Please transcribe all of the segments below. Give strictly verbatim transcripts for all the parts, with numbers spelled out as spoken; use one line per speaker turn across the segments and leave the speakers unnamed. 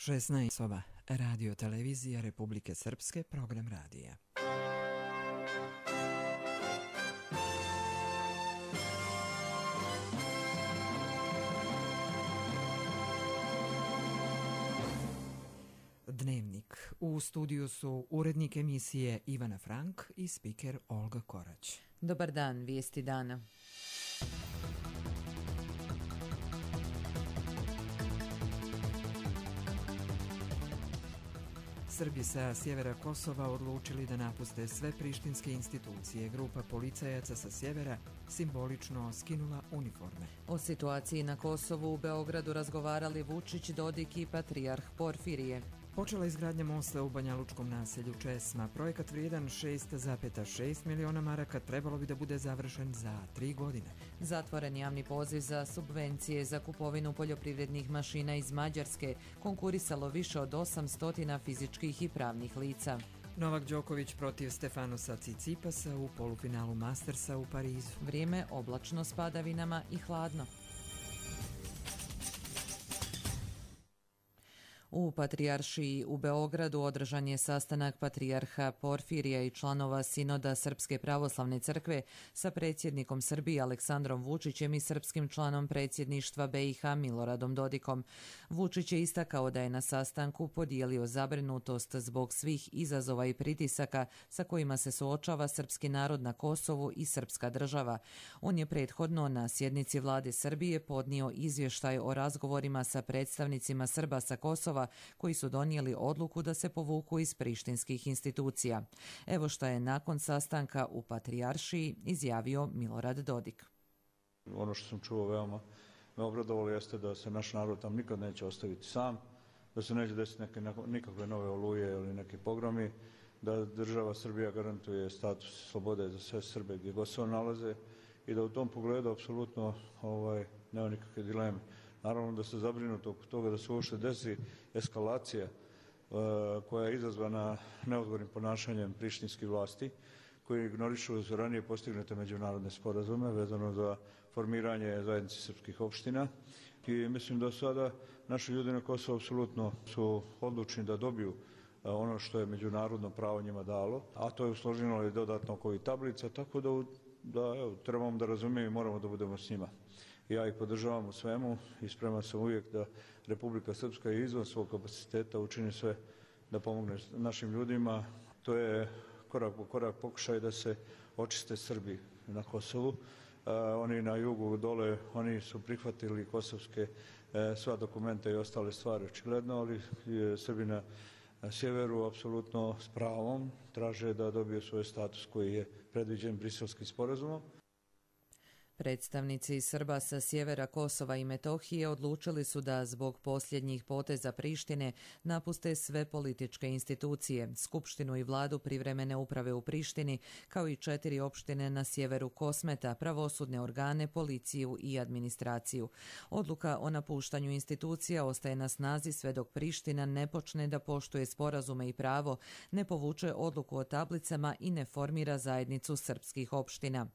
šesnaest soba, radio televizija Republike Srpske, program radija. Dnevnik. U studiju su urednik emisije Ivana Frank i spiker Olga Korać.
Dobar dan, vijesti dana.
Srbi sa sjevera Kosova odlučili da napuste sve prištinske institucije. Grupa policajaca sa sjevera simbolično skinula uniforme.
O situaciji na Kosovu u Beogradu razgovarali Vučić, Dodik i patrijarh Porfirije.
Počela izgradnja mosta u banjalučkom naselju Česma. Projekat vrijedan šest zarez šest miliona maraka trebalo bi da bude završen za tri godine.
Zatvoren javni poziv za subvencije za kupovinu poljoprivrednih mašina iz Mađarske. Konkurisalo više od osamsto fizičkih i pravnih lica.
Novak Đoković protiv Stefanosa Cicipasa u polufinalu Mastersa u Parizu.
Vrijeme oblačno s padavinama i hladno. U Patrijaršiji u Beogradu održan je sastanak patrijarha Porfirija i članova Sinoda Srpske pravoslavne crkve sa predsjednikom Srbije Aleksandrom Vučićem i srpskim članom predsjedništva B i H Miloradom Dodikom. Vučić je istakao da je na sastanku podijelio zabrinutost zbog svih izazova i pritisaka sa kojima se suočava srpski narod na Kosovu i srpska država. On je prethodno na sjednici vlade Srbije podnio izvještaj o razgovorima sa predstavnicima Srba sa Kosova koji su donijeli odluku da se povuku iz prištinskih institucija. Evo što je nakon sastanka u Patrijaršiji izjavio Milorad Dodik.
Ono što sam čuo veoma me obradovalo jeste da se naš narod tam nikad neće ostaviti sam, da se neće desiti neke, nikakve nove oluje ili neki pogromi, da država Srbija garantuje status slobode za sve Srbe gdje god se nalaze i da u tom pogledu apsolutno ovaj, nema nikakve dileme. Naravno da se zabrinuti oko toga da se uopšte desi eskalacija uh, koja je izazvana neodgovornim ponašanjem prištinskih vlasti koji ignorišu ranije postignute međunarodne sporazume vezano za formiranje zajednice srpskih opština i mislim da sada naši ljudi na Kosovu apsolutno su odlučni da dobiju uh, ono što je međunarodno pravo njima dalo, a to je usloženo i dodatno oko i tablica, tako da, da evo, trebamo da razumijemo i moramo da budemo s njima. Ja ih podržavam u svemu i spreman sam uvijek da Republika Srpska izvan svog kapaciteta učini sve da pomogne našim ljudima. To je korak po korak pokušaj da se očiste Srbi na Kosovu. Uh, oni na jugu dole, oni su prihvatili kosovske uh, sva dokumenta i ostale stvari očigledno, ali uh, Srbi na sjeveru apsolutno s pravom traže da dobiju svoj status koji je predviđen Briselskim sporazumom.
Predstavnici Srba sa sjevera Kosova i Metohije odlučili su da zbog posljednjih poteza Prištine napuste sve političke institucije, skupštinu i vladu privremene uprave u Prištini, kao i četiri opštine na sjeveru Kosmeta, pravosudne organe, policiju i administraciju. Odluka o napuštanju institucija ostaje na snazi sve dok Priština ne počne da poštuje sporazume i pravo, ne povuče odluku o tablicama i ne formira zajednicu srpskih opština.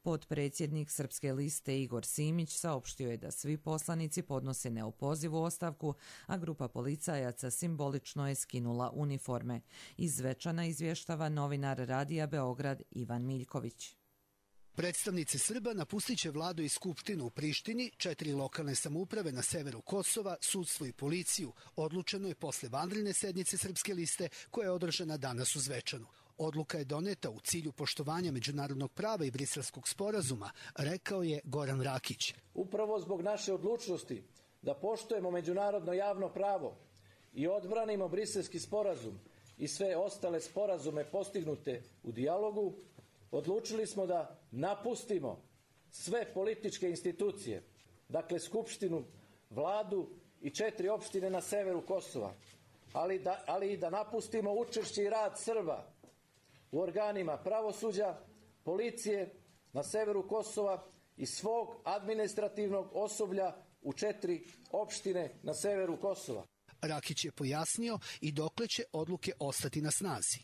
Potpredsjednik Srpske liste Igor Simić saopštio je da svi poslanici podnose neopozivu ostavku, a grupa policajaca simbolično je skinula uniforme. Iz Zvečana izvještava novinar Radija Beograd Ivan Miljković.
Predstavnici Srba napustit će vladu i skupštinu u Prištini, četiri lokalne samouprave na severu Kosova, sudstvo i policiju. Odlučeno je posle vanredne sednice Srpske liste koja je održana danas u Zvečanu. Odluka je doneta u cilju poštovanja međunarodnog prava i Briselskog sporazuma, rekao je Goran Rakić.
Upravo zbog naše odlučnosti da poštujemo međunarodno javno pravo i odbranimo Briselski sporazum i sve ostale sporazume postignute u dijalogu, odlučili smo da napustimo sve političke institucije, dakle Skupštinu, vladu i četiri opštine na severu Kosova, ali, da, ali i da napustimo učešće i rad Srba u organima pravosuđa, policije na severu Kosova i svog administrativnog osoblja u četiri opštine na severu Kosova.
Rakić je pojasnio i dokle će odluke ostati na snazi.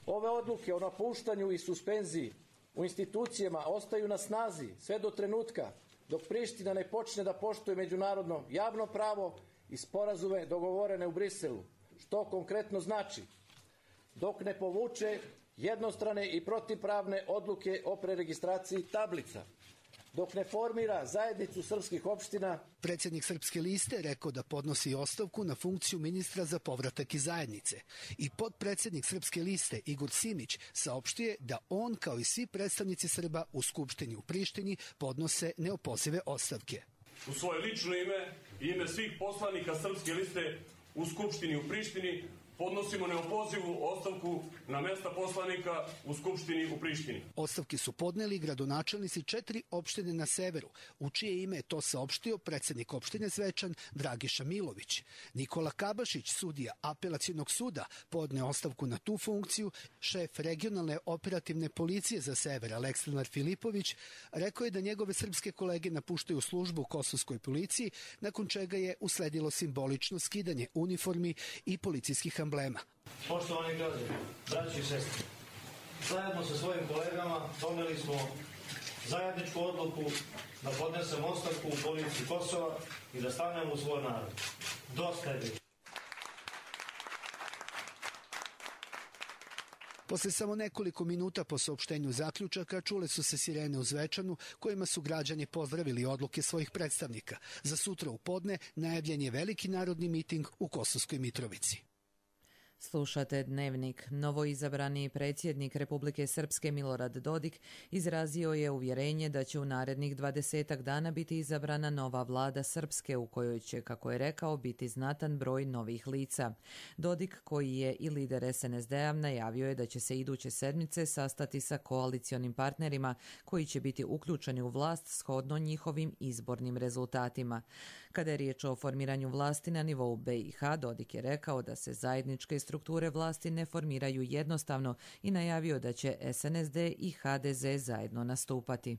Ove odluke o napuštanju i suspenziji u institucijama ostaju na snazi sve do trenutka dok Priština ne počne da poštuje međunarodno javno pravo i sporazume dogovorene u Briselu, što konkretno znači dok ne povuče jednostrane i protivpravne odluke o preregistraciji tablica, dok ne formira zajednicu srpskih opština.
Predsjednik Srpske liste rekao da podnosi ostavku na funkciju ministra za povratak iz zajednice. I potpredsjednik Srpske liste Igor Simić saopštio da on, kao i svi predstavnici Srba u Skupštini u Prištini, podnose neopozive ostavke.
U svoje lično ime i ime svih poslanika Srpske liste u Skupštini u Prištini podnosimo neopozivu ostavku na mesta poslanika u Skupštini u Prištini.
Ostavke su podneli gradonačelnici četiri opštine na severu, u čije ime je to saopštio predsjednik opštine Zvečan Dragiša Milović. Nikola Kabašić, sudija apelacionog suda, podne ostavku na tu funkciju. Šef regionalne operativne policije za sever Aleksandar Filipović rekao je da njegove srpske kolege napuštaju službu u kosovskoj policiji, nakon čega je usledilo simbolično skidanje uniformi i policijskih emblema.
Poštovani građani, braći i sestri, zajedno sa svojim kolegama doneli smo zajedničku odluku da podnesemo ostavku u policiji Kosova i da stanemo u svoj narod. Dosta je bilo.
Posle samo nekoliko minuta po saopštenju zaključaka čule su se sirene u Zvečanu, kojima su građani pozdravili odluke svojih predstavnika. Za sutra u podne najavljen je veliki narodni miting u Kosovskoj Mitrovici.
Slušate Dnevnik. Novoizabrani predsjednik Republike Srpske Milorad Dodik izrazio je uvjerenje da će u narednih dvadesetak dana biti izabrana nova vlada Srpske u kojoj će, kako je rekao, biti znatan broj novih lica. Dodik, koji je i lider es en es de-a, najavio je da će se iduće sedmice sastati sa koalicionim partnerima koji će biti uključeni u vlast shodno njihovim izbornim rezultatima. Kada je riječ o formiranju vlasti na nivou be i ha, Dodik je rekao da se zajedničke strukture vlasti ne formiraju jednostavno i najavio da će es en es de i ha de ze zajedno nastupati.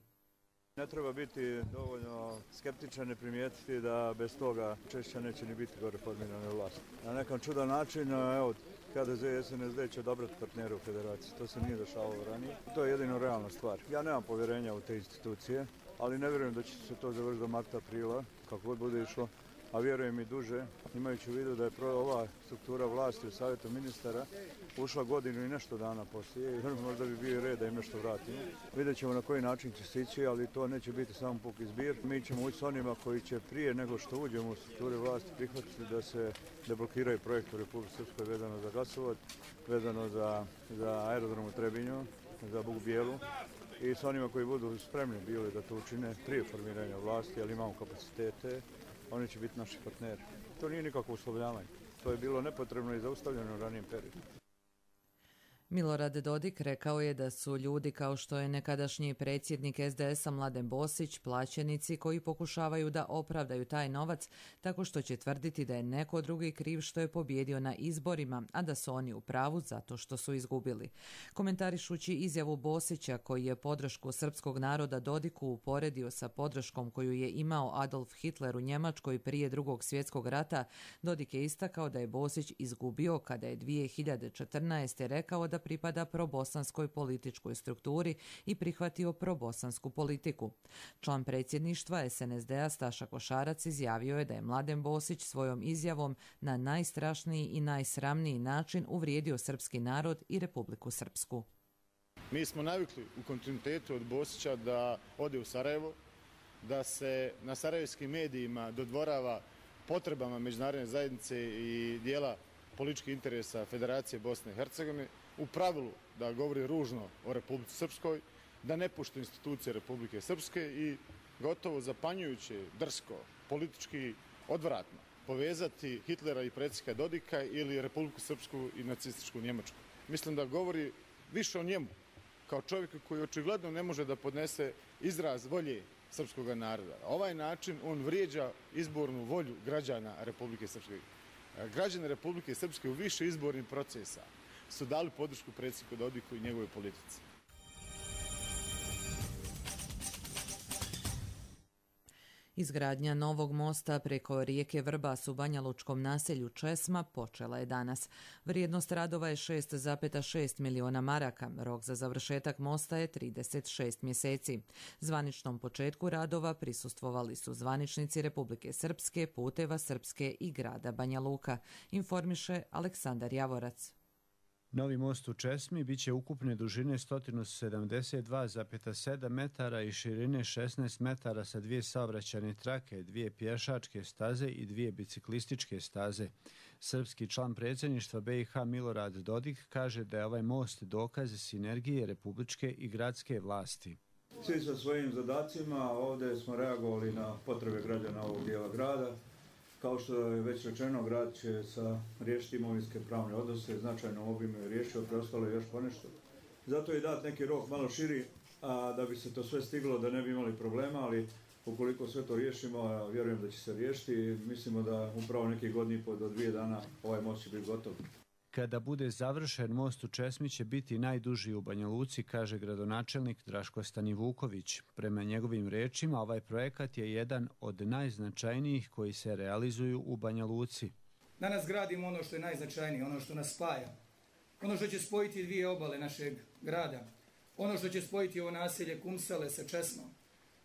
Ne treba biti dovoljno skeptičan i primijetiti da bez toga češće neće ni biti gore formirane vlasti. Na nekom čudan način, evo, ha de ze i es en es de će odabrati partnere u federaciji. To se nije dešavalo ranije. To je jedino realna stvar. Ja nemam povjerenja u te institucije, ali ne vjerujem da će se to završiti do marta, aprila, kako god bude išlo, a vjerujem i duže, imajući u vidu da je ova struktura vlasti u Savjetu ministara ušla godinu i nešto dana poslije i možda bi bio red da im nešto vratimo. Vidjet ćemo na koji način će se ići, ali to neće biti samo puki zbir. Mi ćemo ući s onima koji će prije nego što uđemo u strukture vlasti prihvatiti da se deblokiraju projekti u Republici Srpskoj vezano za gasovod, vezano za, za aerodrom u Trebinju, za Buk Bijelu, i s onima koji budu spremni bili da to učine prije formiranja vlasti, ali imamo kapacitete, oni će biti naši partneri. To nije nikakvo uslovljavanje. To je bilo nepotrebno i zaustavljeno u ranijem periodu.
Milorad Dodik rekao je da su ljudi kao što je nekadašnji predsjednik es de es-a Mladen Bosić plaćenici koji pokušavaju da opravdaju taj novac tako što će tvrditi da je neko drugi kriv što je pobjedio na izborima, a da su oni u pravu zato što su izgubili. Komentarišući izjavu Bosića, koji je podršku srpskog naroda Dodiku uporedio sa podrškom koju je imao Adolf Hitler u Njemačkoj prije drugog svjetskog rata, Dodik je istakao da je Bosić izgubio kada je dvije hiljade četrnaeste. rekao da pripada probosanskoj političkoj strukturi i prihvatio probosansku politiku. Član predsjedništva es en es de-a Staša Košarac izjavio je da je Mladen Bosić svojom izjavom na najstrašniji i najsramniji način uvrijedio srpski narod i Republiku Srpsku.
Mi smo navikli u kontinuitetu od Bosića da ode u Sarajevo, da se na sarajevskim medijima dodvorava potrebama međunarodne zajednice i dijela političkih interesa Federacije Bosne i Hercegovine, u pravilu da govori ružno o Republici Srpskoj, da ne pušta institucije Republike Srpske i gotovo zapanjujuće, drsko, politički odvratno povezati Hitlera i predsjednika Dodika ili Republiku Srpsku i nacističku Njemačku. Mislim da govori više o njemu, kao čovjeku koji očigledno ne može da podnese izraz volje srpskog naroda. Ovaj način on vrijeđa izbornu volju građana Republike Srpske. Građani Republike Srpske u više izbornih procesa su dali podršku predsjedniku Dodiku i njegove politici.
Izgradnja novog mosta preko rijeke Vrbas u banjalučkom naselju Česma počela je danas. Vrijednost radova je šest zarez šest miliona maraka, rok za završetak mosta je trideset šest mjeseci. Zvaničnom početku radova prisustvovali su zvaničnici Republike Srpske, Puteva Srpske i grada Banja Luka, informiše Aleksandar Javorac.
Novi most u Česmi biće ukupne dužine sto sedamdeset dva zarez sedam metara i širine šesnaest metara sa dvije saobraćajne trake, dvije pješačke staze i dvije biciklističke staze. Srpski član predsjedništva B i H Milorad Dodik kaže da je ovaj most dokaz sinergije republičke i gradske vlasti.
Svi sa svojim zadacima ovdje smo reagovali na potrebe građana ovog dijela grada. Kao što je već rečeno, grad će sa riješiti imovinske pravne odnose, značajno obimu je riješio, preostalo je još ponešto. Zato je dat neki rok malo širi, a da bi se to sve stiglo, da ne bi imali problema, ali ukoliko sve to riješimo, ja vjerujem da će se riješiti i mislimo da upravo nekih godina i po do dvije dana ovaj most će biti gotov.
Kada bude završen, most u Česmi će biti najduži u Banja Luci, kaže gradonačelnik Draško Stanivuković. Prema njegovim rečima, ovaj projekat je jedan od najznačajnijih koji se realizuju u Banja Luci.
Danas gradimo ono što je najznačajnije, ono što nas spaja, ono što će spojiti dvije obale našeg grada, ono što će spojiti ovo naselje Kumsale sa Česmom.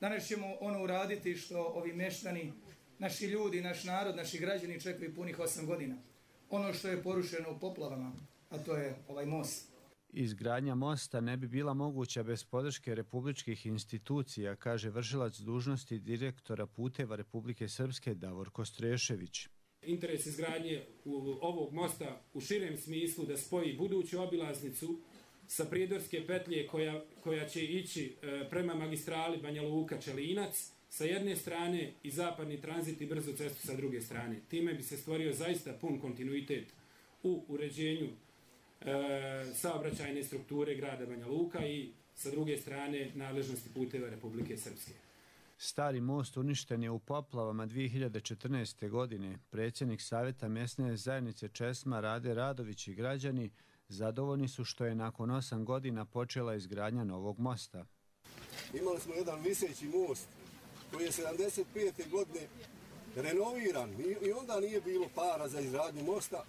Danas ćemo ono uraditi što ovi meštani, naši ljudi, naš narod, naši građani čekaju punih osam godina. Ono što je porušeno u poplavama, a to je ovaj most.
Izgradnja mosta ne bi bila moguća bez podrške republičkih institucija, kaže vršilac dužnosti direktora Puteva Republike Srpske Davorko Strešević.
Interes izgradnje ovog mosta u širem smislu da spoji buduću obilaznicu sa Prijedorske petlje koja, koja će ići prema magistrali Banja Luka-Čelinac sa jedne strane i zapadni tranzit i brzu cestu sa druge strane. Time bi se stvorio zaista pun kontinuitet u uređenju e, saobraćajne strukture grada Banja Luka i sa druge strane nadležnosti Puteva Republike Srpske.
Stari most uništen je u poplavama dvije hiljade četrnaeste. godine. Predsjednik Savjeta mjesne zajednice Česma Rade Radović i građani zadovoljni su što je nakon osam godina počela izgradnja novog mosta.
Imali smo jedan viseći most koji je sedamdeset pete. godine renoviran i onda nije bilo para za izgradnju mosta,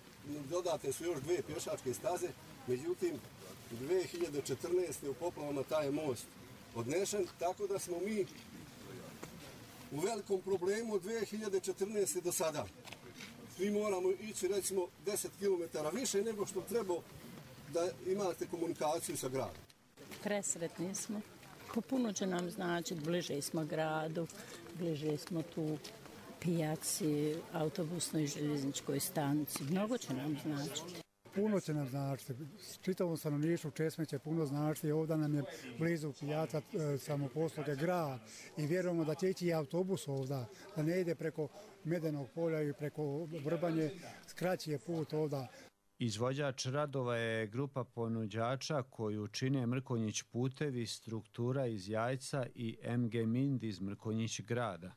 dodate su još dvije pješačke staze, međutim dvije hiljade četrnaeste. u poplavama taj je most odnešen, tako da smo mi u velikom problemu od dvije hiljade četrnaeste. do sada. Svi moramo ići recimo deset kilometara više nego što treba da imate komunikaciju sa gradom.
Presretni smo. Puno će nam značiti, bliže smo gradu, bliže smo tu pijaci, autobusnoj i željezničkoj stanici. Mnogo će nam značiti.
Puno će nam značiti. Čitavom stanovništvu Česme će puno značiti. Ovdje nam je blizu pijaca samoposluge grad i vjerujemo da će ići i autobus ovdje, da ne ide preko Medenog polja i preko Vrbanje, skraći je put ovdje.
Izvođač radova je grupa ponuđača koju čine Mrkonjić putevi, struktura iz Jajca i M G Mind iz Mrkonjić grada.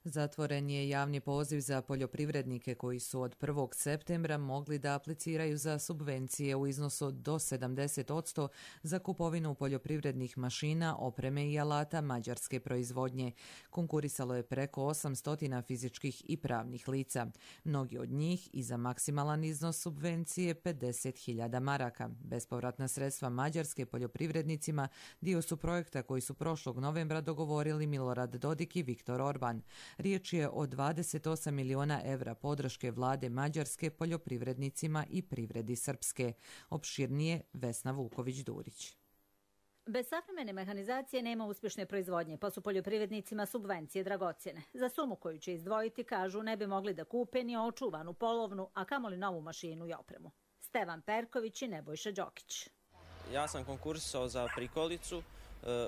Zatvoren je javni poziv za poljoprivrednike koji su od prvog septembra mogli da apliciraju za subvencije u iznosu do sedamdeset posto za kupovinu poljoprivrednih mašina, opreme i alata mađarske proizvodnje. Konkurisalo je preko osamsto fizičkih i pravnih lica. Mnogi od njih i za maksimalan iznos subvencije pedeset hiljada maraka. Bespovratna sredstva mađarske poljoprivrednicima dio su projekta koji su prošlog novembra dogovorili Milorad Dodik i Viktor Orban. Riječ je o dvadeset osam miliona evra podrške vlade Mađarske poljoprivrednicima i privredi Srpske. Opširnije Vesna Vuković-Durić.
Bez savremene mehanizacije nema uspješne proizvodnje, pa su poljoprivrednicima subvencije dragocjene. Za sumu koju će izdvojiti, kažu, ne bi mogli da kupe ni očuvanu polovnu, a kamoli novu mašinu i opremu. Stevan Perković i Nebojša Đokić.
Ja sam konkursao za prikolicu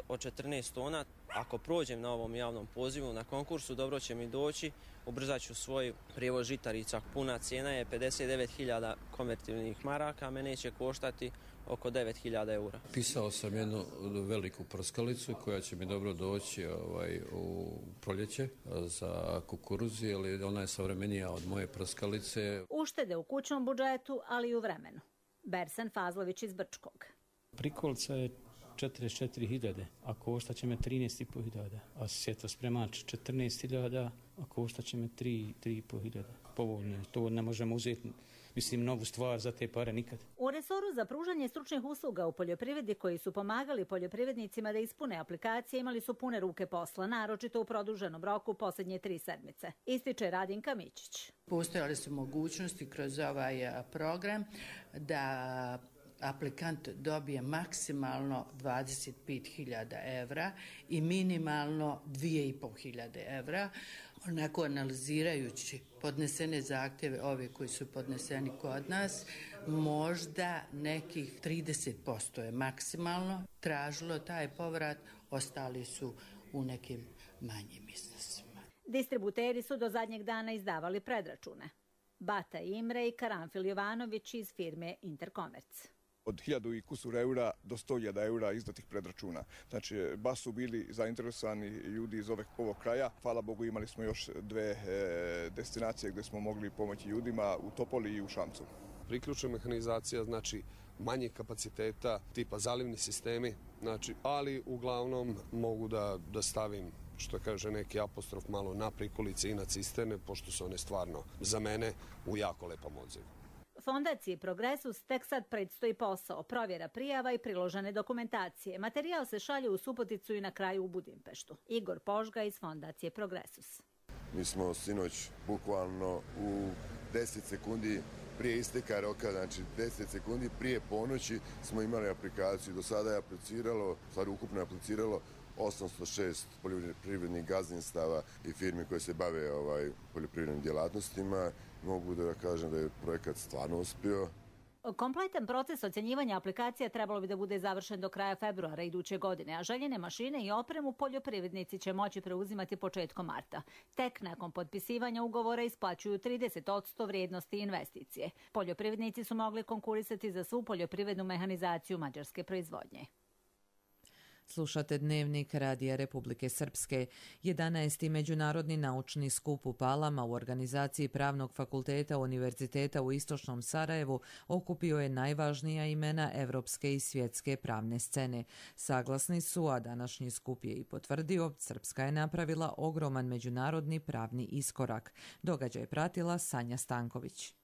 od četrnaest tona. Ako prođem na ovom javnom pozivu na konkursu, dobro će mi doći, ubrzat ću svoj prijevoz žitarica. Puna cijena je pedeset devet hiljada konvertibilnih maraka, mene će koštati oko devet hiljada eura.
Pisao sam jednu veliku prskalicu koja će mi dobro doći ovaj, u proljeće za kukuruzi, ali ona je savremenija od moje prskalice.
Uštede u kućnom budžetu, ali i u vremenu. Bersan Fazlović iz Brčkog.
Prikolica je četrdeset četiri hiljade, a koštat će me trinaest i po hiljada, a svjetospremač četrnaest hiljada, a koštat će me tri i po hiljada. Povoljno, to ne možemo uzeti, mislim, novu stvar za te pare nikad.
U resoru za pružanje stručnih usluga u poljoprivredi koji su pomagali poljoprivrednicima da ispune aplikacije imali su pune ruke posla, naročito u produženom roku posljednje tri sedmice. Ističe Radinka Mićić.
Postojale su mogućnosti kroz ovaj program da aplikant dobije maksimalno dvadeset pet hiljada evra i minimalno dvije i po hiljade evra. Onako analizirajući podnesene zahtjeve, ove koji su podneseni kod nas, možda nekih trideset posto je maksimalno tražilo taj povrat, ostali su u nekim manjim iznosima.
Distributeri su do zadnjeg dana izdavali predračune. Bata Imre i Karanfil Jovanović iz firme Interkomerc.
Od hiljadu i kusur eura do sto hiljada eura izdatih predračuna. Znači, baš su bili zainteresovani ljudi iz ovog, ovog kraja. Hvala Bogu, imali smo još dve e, destinacije gdje smo mogli pomoći ljudima u Topoli i u Šamcu.
Priključna mehanizacija, znači manje kapaciteta, tipa zalivni sistemi, znači, ali uglavnom mogu da, da stavim, što kaže neki apostrof, malo na prikolice i na cisterne, pošto su one stvarno za mene u jako lepom odzivu.
Fondaciji Progresus tek sad predstoji posao, provjera prijava i priložene dokumentacije. Materijal se šalje u Suboticu i na kraju u Budimpeštu. Igor Požga iz Fondacije Progresus.
Mi smo sinoć bukvalno u deset sekundi prije isteka roka, znači deset sekundi prije ponoći smo imali aplikaciju. Do sada je apliciralo, stvari ukupno je apliciralo osamsto šest poljoprivrednih gazdinstava i firmi koje se bave ovaj, poljoprivrednim djelatnostima. Mogu da kažem da je projekat stvarno uspio.
Kompletan proces ocjenjivanja aplikacija trebalo bi da bude završen do kraja februara iduće godine, a željene mašine i opremu poljoprivrednici će moći preuzimati početkom marta. Tek nakon potpisivanja ugovora isplaćuju trideset posto vrijednosti investicije. Poljoprivrednici su mogli konkurisati za svu poljoprivrednu mehanizaciju mađarske proizvodnje.
Slušate Dnevnik Radija Republike Srpske. jedanaesti Međunarodni naučni skup u Palama u organizaciji Pravnog fakulteta Univerziteta u Istočnom Sarajevu okupio je najvažnija imena evropske i svjetske pravne scene. Saglasni su, a današnji skup je i potvrdio, Srpska je napravila ogroman međunarodni pravni iskorak. Događaj je pratila Sanja Stanković.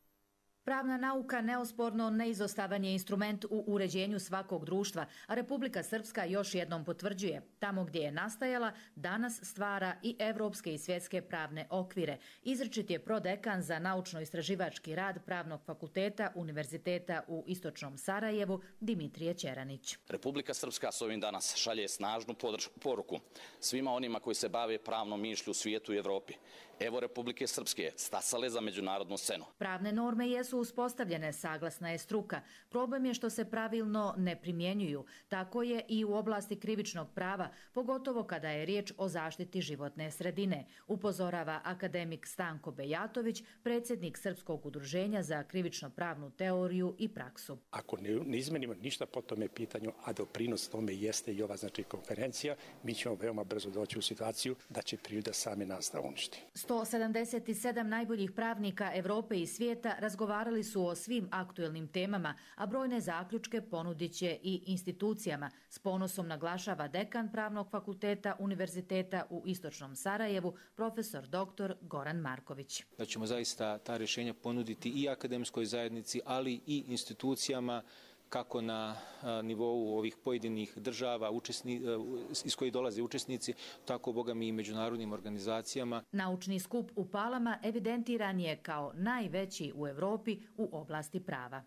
Pravna nauka neosporno neizostavan je instrument u uređenju svakog društva, a Republika Srpska još jednom potvrđuje. Tamo gdje je nastajala, danas stvara i evropske i svjetske pravne okvire. Izričit je prodekan za naučno-istraživački rad Pravnog fakulteta Univerziteta u Istočnom Sarajevu, Dimitrije Ćeranić.
Republika Srpska s ovim danas šalje snažnu poruku svima onima koji se bave pravnom mišlju u svijetu i Evropi. Evo Republike Srpske stasale za međunarodnu scenu.
Pravne norme jesu uspostavljene, saglasna je struka. Problem je što se pravilno ne primjenjuju. Tako je i u oblasti krivičnog prava, pogotovo kada je riječ o zaštiti životne sredine, upozorava akademik Stanko Bejatović, predsjednik Srpskog udruženja za krivično-pravnu teoriju i praksu.
Ako ne, ne izmenimo ništa po tome pitanju, a doprinos tome jeste i ova znači konferencija, mi ćemo veoma brzo doći u situaciju da će priroda same nas da uništi.
sto sedamdeset sedam najboljih pravnika Evrope i svijeta razgovarali su o svim aktuelnim temama, a brojne zaključke ponudit će i institucijama. S ponosom naglašava dekan Pravnog fakulteta Univerziteta u Istočnom Sarajevu, profesor doktor Goran Marković.
Da ćemo zaista ta rješenja ponuditi i akademskoj zajednici, ali i institucijama, kako na nivou ovih pojedinih država učesni, iz kojih dolaze učesnici, tako boga mi i međunarodnim organizacijama.
Naučni skup u Palama evidentiran je kao najveći u Evropi u oblasti prava.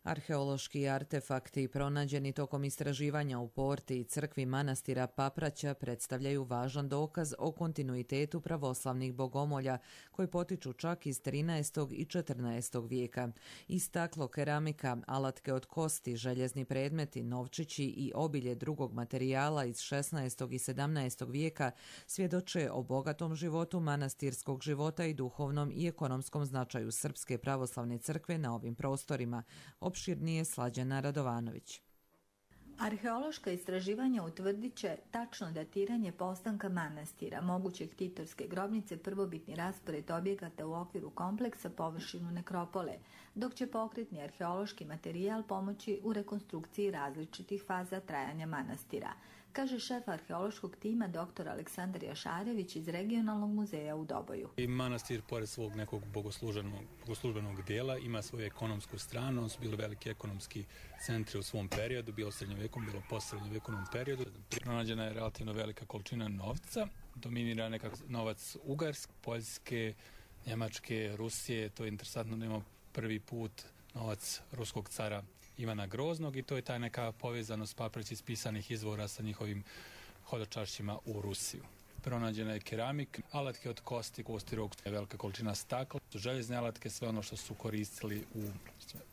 Arheološki artefakti pronađeni tokom istraživanja u porti i crkvi manastira Papraća predstavljaju važan dokaz o kontinuitetu pravoslavnih bogomolja koji potiču čak iz trinaestog i četrnaestog vijeka. I staklo, keramika, alatke od kosti, željezni predmeti, novčići i obilje drugog materijala iz šesnaestog i sedamnaestog vijeka svjedoče o bogatom životu manastirskog života i duhovnom i ekonomskom značaju Srpske pravoslavne crkve na ovim prostorima. Opširnije Slađana Radovanović.
Arheološka istraživanja utvrdit će tačno datiranje postanka manastira, moguće ktitorske grobnice, prvobitni raspored objekata u okviru kompleksa, površinu nekropole, dok će pokretni arheološki materijal pomoći u rekonstrukciji različitih faza trajanja manastira, kaže šef arheološkog tima dr. Aleksandar Jašarević iz Regionalnog muzeja u Doboju.
I manastir, pored svog nekog bogoslužbenog, bogoslužbenog dijela, ima svoju ekonomsku stranu. On su bili veliki ekonomski centri u svom periodu, bilo srednjovekom, bilo posrednjovekovnom periodu. Pronađena je relativno velika količina novca, dominira nekak novac Ugarske, Poljske, Njemačke, Rusije. To je interesantno da imamo prvi put novac ruskog cara Ivana Groznog i to je taj neka povezanost papreć iz pisanih izvora sa njihovim hodočašćima u Rusiju. Pronađena je keramika, alatke od kosti, kosti rog, velika količina stakla, željezne alatke, sve ono što su koristili u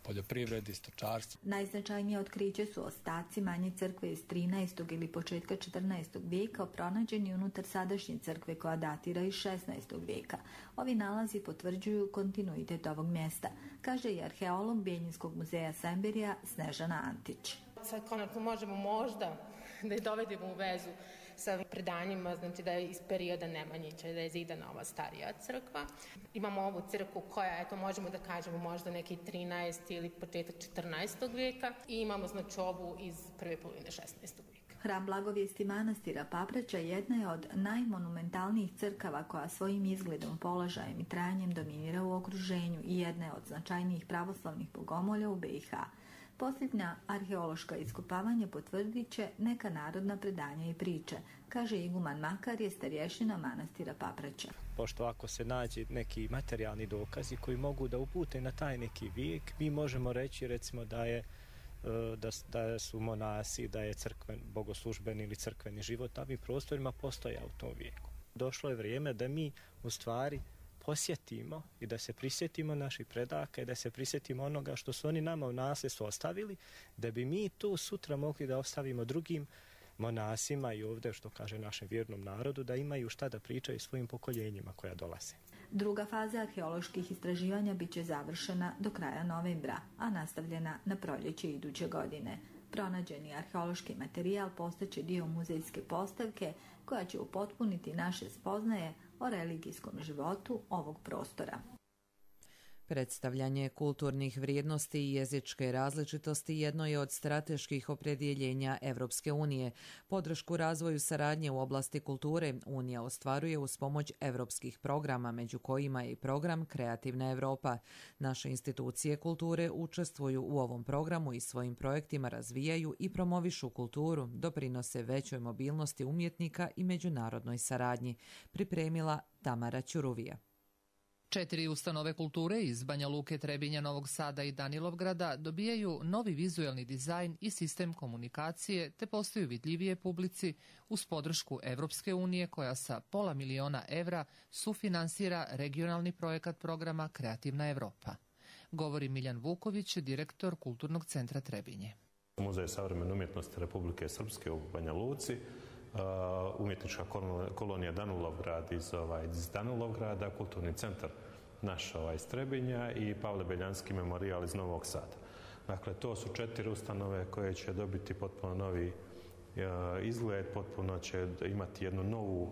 poljoprivredi, stočarstvu.
Najznačajnije otkriće su ostaci manje crkve iz trinaestog ili početka četrnaestog vijeka, pronađeni unutar sadašnje crkve koja datira iz šesnaestog vijeka. Ovi nalazi potvrđuju kontinuitet ovog mjesta, kaže i arheolog Bijeljinskog muzeja Semberija Snežana Antić.
Sad konačno možemo možda da je dovedemo u vezu sa predanjima, znači da je iz perioda Nemanjića, da je zidana ova starija crkva. Imamo ovu crkvu koja, eto, možemo da kažemo možda neki trinaesti ili početak četrnaestog vijeka i imamo znači ovu iz prve polovine šesnaestog vijeka.
Hram Blagovijesti manastira Papraća jedna je od najmonumentalnijih crkava koja svojim izgledom, položajem i trajanjem dominira u okruženju i jedna je od značajnijih pravoslavnih bogomolja u B i H. Posljednja arheološka iskopavanja potvrdit će neka narodna predanja i priče, kaže iguman Makar, starješina manastira Papraća.
Pošto ako se nađe neki materijalni dokazi koji mogu da upute na taj neki vijek, mi možemo reći recimo da je da, da su monasi, da je crkven, bogoslužbeni ili crkveni život na ovim prostorima postojao u tom vijeku. Došlo je vrijeme da mi u stvari posjetimo i da se prisjetimo naših predaka i da se prisjetimo onoga što su oni nama u nasljedstvo ostavili, da bi mi to sutra mogli da ostavimo drugim monasima i ovdje, što kaže našem vjernom narodu, da imaju šta da pričaju svojim pokoljenjima koja dolaze.
Druga faza arheoloških istraživanja bit će završena do kraja novembra, a nastavljena na proljeće iduće godine. Pronađeni arheološki materijal postaće dio muzejske postavke koja će upotpuniti naše spoznaje o religijskom životu ovog prostora.
Predstavljanje kulturnih vrijednosti i jezičke različitosti jedno je od strateških opredjeljenja Evropske unije. Podršku razvoju saradnje u oblasti kulture Unija ostvaruje uz pomoć evropskih programa, među kojima je i program Kreativna Evropa. Naše institucije kulture učestvuju u ovom programu i svojim projektima razvijaju i promovišu kulturu, doprinose većoj mobilnosti umjetnika i međunarodnoj saradnji, pripremila Tamara Ćuruvija.
Četiri ustanove kulture iz Banja Luke, Trebinja, Novog Sada i Danilovgrada dobijaju novi vizuelni dizajn i sistem komunikacije te postaju vidljivije publici uz podršku Evropske unije koja sa pola miliona evra sufinansira regionalni projekat programa Kreativna Evropa. Govori Miljan Vuković, direktor Kulturnog centra Trebinje.
Muzej savremene umjetnosti Republike Srpske u Banja Luci, umjetnička kolonija Danilovgrad iz, ovaj, iz Danilovgrada, kulturni centar naš ovaj, iz Trebinja i Pavle Beljanski memorijal iz Novog Sada. Dakle, to su četiri ustanove koje će dobiti potpuno novi uh, izgled, potpuno će imati jednu novu uh,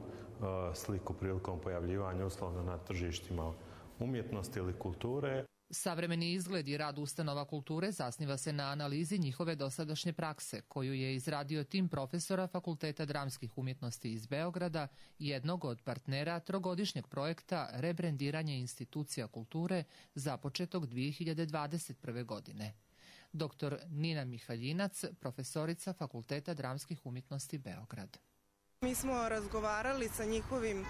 sliku prilikom pojavljivanja uslovno na tržištima umjetnosti ili kulture.
Savremeni izgled i rad ustanova kulture zasniva se na analizi njihove dosadašnje prakse, koju je izradio tim profesora Fakulteta dramskih umjetnosti iz Beograda, jednog od partnera trogodišnjeg projekta rebrendiranje institucija kulture započetog dvije hiljade dvadeset prve. godine. Doktor Nina Mihaljinac, profesorica Fakulteta dramskih umjetnosti Beograd.
Mi smo razgovarali sa njihovim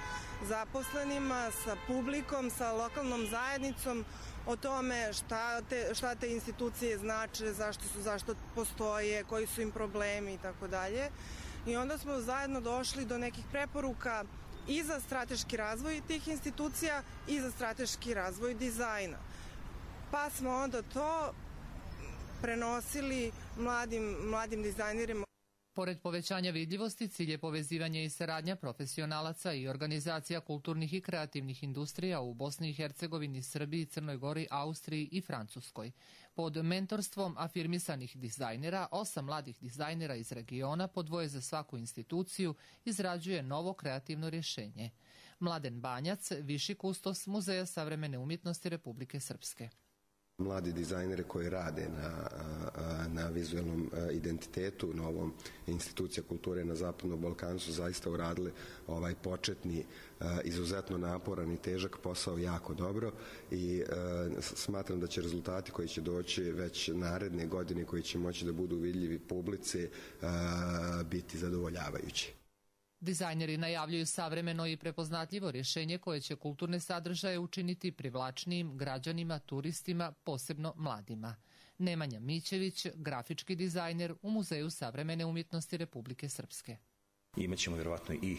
zaposlenima, sa publikom, sa lokalnom zajednicom o tome šta te, šta te institucije znače, zašto su, zašto postoje, koji su im problemi i tako dalje. I onda smo zajedno došli do nekih preporuka i za strateški razvoj tih institucija i za strateški razvoj dizajna. Pa smo onda to prenosili mladim, mladim dizajnerima.
Pored povećanja vidljivosti, cilj je povezivanje i saradnja profesionalaca i organizacija kulturnih i kreativnih industrija u Bosni i Hercegovini, Srbiji, Crnoj Gori, Austriji i Francuskoj. Pod mentorstvom afirmisanih dizajnera, osam mladih dizajnera iz regiona, po dvoje za svaku instituciju, izrađuje novo kreativno rješenje. Mladen Banjac, viši kustos Muzeja savremene umjetnosti Republike Srpske.
Mladi dizajneri koji rade na, na vizualnom identitetu, na ovom institucija kulture na Zapadnom Balkanu su zaista uradili ovaj početni, izuzetno naporan i težak posao jako dobro i smatram da će rezultati koji će doći već naredne godine, koji će moći da budu vidljivi publici, biti zadovoljavajući.
Dizajneri najavljuju savremeno i prepoznatljivo rješenje koje će kulturne sadržaje učiniti privlačnijim građanima, turistima, posebno mladima. Nemanja Mićević, grafički dizajner u Muzeju savremene umjetnosti Republike Srpske.
Imaćemo vjerovatno i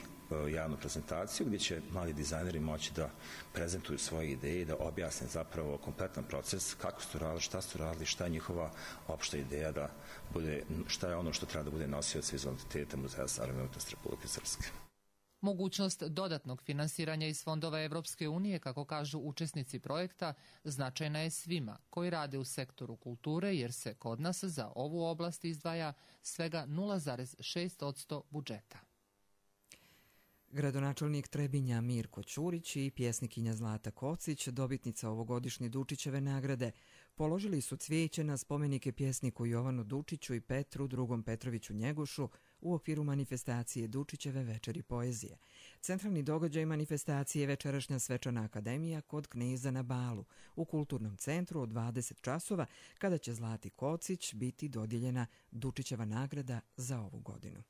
javnu prezentaciju gdje će mladi dizajneri moći da prezentuju svoje ideje i da objasne zapravo kompletan proces, kako su radili, šta su radili, šta je njihova opšta ideja da bude, šta je ono što treba da bude nosioc vizualnog identiteta Muzeja savremene umjetnosti Republike Srpske.
Mogućnost dodatnog finansiranja iz fondova Evropske unije, kako kažu učesnici projekta, značajna je svima koji rade u sektoru kulture, jer se kod nas za ovu oblast izdvaja svega nula zarez šest posto budžeta.
Gradonačelnik Trebinja Mirko Ćurić i pjesnikinja Zlata Kocić, dobitnica ovogodišnje Dučićeve nagrade, položili su cvijeće na spomenike pjesniku Jovanu Dučiću i Petru drugom Petroviću Njegošu u okviru manifestacije Dučićeve večeri poezije. Centralni događaj manifestacije je večerašnja svečana akademija kod Kneza na Balu u Kulturnom centru od dvadeset časova, kada će Zlati Kocić biti dodijeljena Dučićeva nagrada za ovu godinu.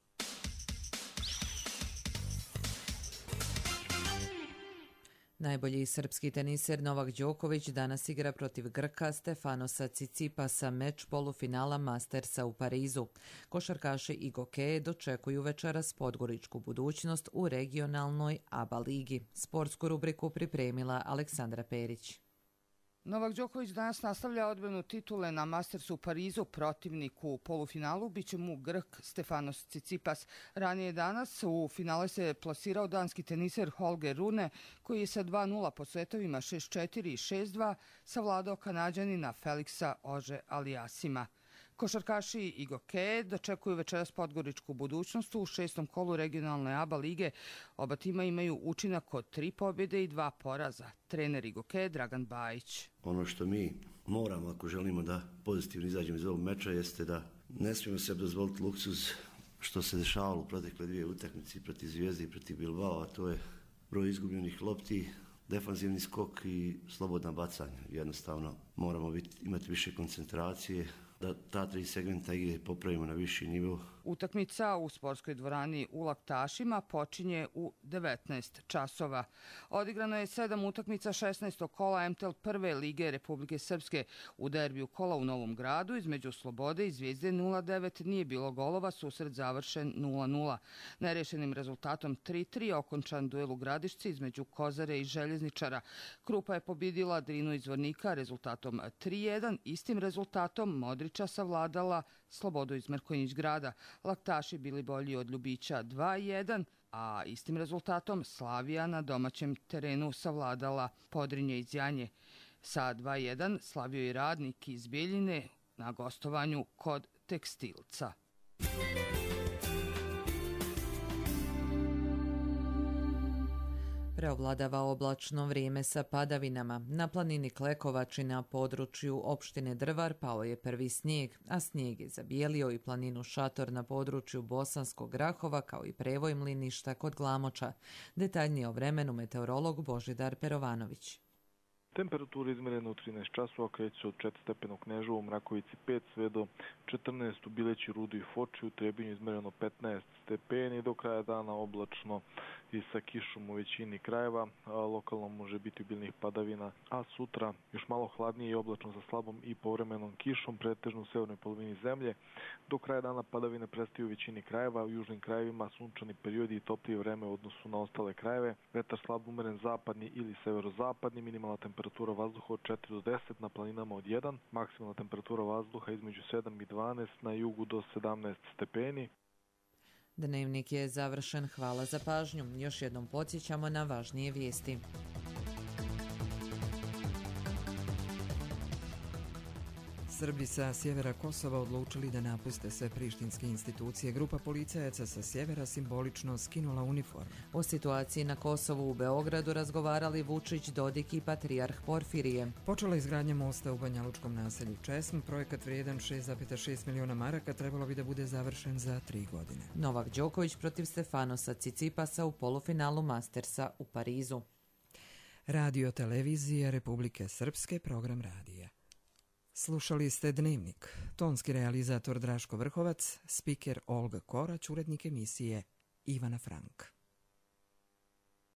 Najbolji srpski teniser Novak Đoković danas igra protiv Grka Stefanosa Cicipasa, meč polufinala Mastersa u Parizu. Košarkaši i gokeje dočekuju večeras podgoričku budućnost u regionalnoj A B A ligi. Sportsku rubriku pripremila Aleksandra Perić.
Novak Đoković danas nastavlja odbranu titule na Mastersu u Parizu. Protivniku u polufinalu biće mu Grk Stefanos Cicipas. Ranije danas u finale se plasirao danski teniser Holger Rune, koji je sa dva nula po setovima šest četiri i šest dva savladao Kanađanina Feliksa Ože Alijasima. Košarkaši i gokeje dočekuju večeras podgoričku budućnost u šestom kolu regionalne A B A lige. Oba tima imaju učinak od tri pobjede i dva poraza. Trener i gokeje Dragan Bajić.
Ono što mi moramo, ako želimo da pozitivno izađemo iz ovog meča, jeste da ne smijemo se dozvoliti luksuz što se dešavalo u protekle dvije utakmice protiv Zvijezde i protiv Bilbao, a to je broj izgubljenih lopti, defanzivni skok i slobodna bacanja. Jednostavno moramo biti, imati više koncentracije, da ta tri segmenta igre popravimo na viši nivo.
Utakmica u sportskoj dvorani u Laktašima počinje u devetnaest časova. Odigrano je sedam utakmica šesnaestog kola M T L prve lige Republike Srpske. U derbiju kola u Novom Gradu između Slobode i Zvijezde nula devet nije bilo golova, susret završen nula nula. Nerešenim rezultatom tri tri okončan duel u Gradišci između Kozare i Željezničara. Krupa je pobjedila Drinu iz Vornika rezultatom tri jedan. Istim rezultatom Modrića savladala Slobodu iz Mrkonjić grada. Laktaši bili bolji od Ljubića dva jedan, a istim rezultatom Slavija na domaćem terenu savladala Podrinje iz Janje. Sa dva jedan slavio i Radnik iz Bijeljine na gostovanju kod Tekstilca.
Preovladava oblačno vrijeme sa padavinama. Na planini Klekovači na području opštine Drvar pao je prvi snijeg, a snijeg je zabijelio i planinu Šator na području Bosanskog Grahova kao i prevoj Mliništa kod Glamoča. Detaljnije o vremenu meteorolog Božidar Perovanović.
Temperatura izmjerena u trinaest časova kreće se od četiri stepena u Kneževu, Mrakovici pet sve do četrnaest u Bileći, Rudu i Foči, u Trebinju izmjereno petnaest stepeni, do kraja dana oblačno i sa kišom u većini krajeva, a lokalno može biti obilnih padavina, a sutra još malo hladnije i oblačno sa slabom i povremenom kišom, pretežno u severnoj polovini zemlje. Do kraja dana padavine prestaju u većini krajeva, u južnim krajevima sunčani periodi i toplije vreme u odnosu na ostale krajeve, vetar slab umeren zapadni ili severozapadni, minimalna temperatura vazduha od četiri do deset, na planinama od jedan, maksimalna temperatura vazduha između sedam i dvanaest, na jugu do sedamnaest stepeni.
Dnevnik je završen. Hvala za pažnju. Još jednom podsjećamo na važnije vijesti.
Srbi sa sjevera Kosova odlučili da napuste sve prištinske institucije. Grupa policajaca sa sjevera simbolično skinula uniform.
O situaciji na Kosovu u Beogradu razgovarali Vučić, Dodik i patrijarh Porfirije.
Počela izgradnja mosta u banjalučkom naselju Česm. Projekat vrijedan šest zarez šest miliona maraka trebalo bi da bude završen za tri godine.
Novak Đoković protiv Stefanosa Cicipasa u polufinalu Mastersa u Parizu.
Radio televizija Republike Srpske, program radija. Slušali ste Dnevnik. Tonski realizator Draško Vrhovac, spiker Olga Korać, urednik emisije Ivana Frank.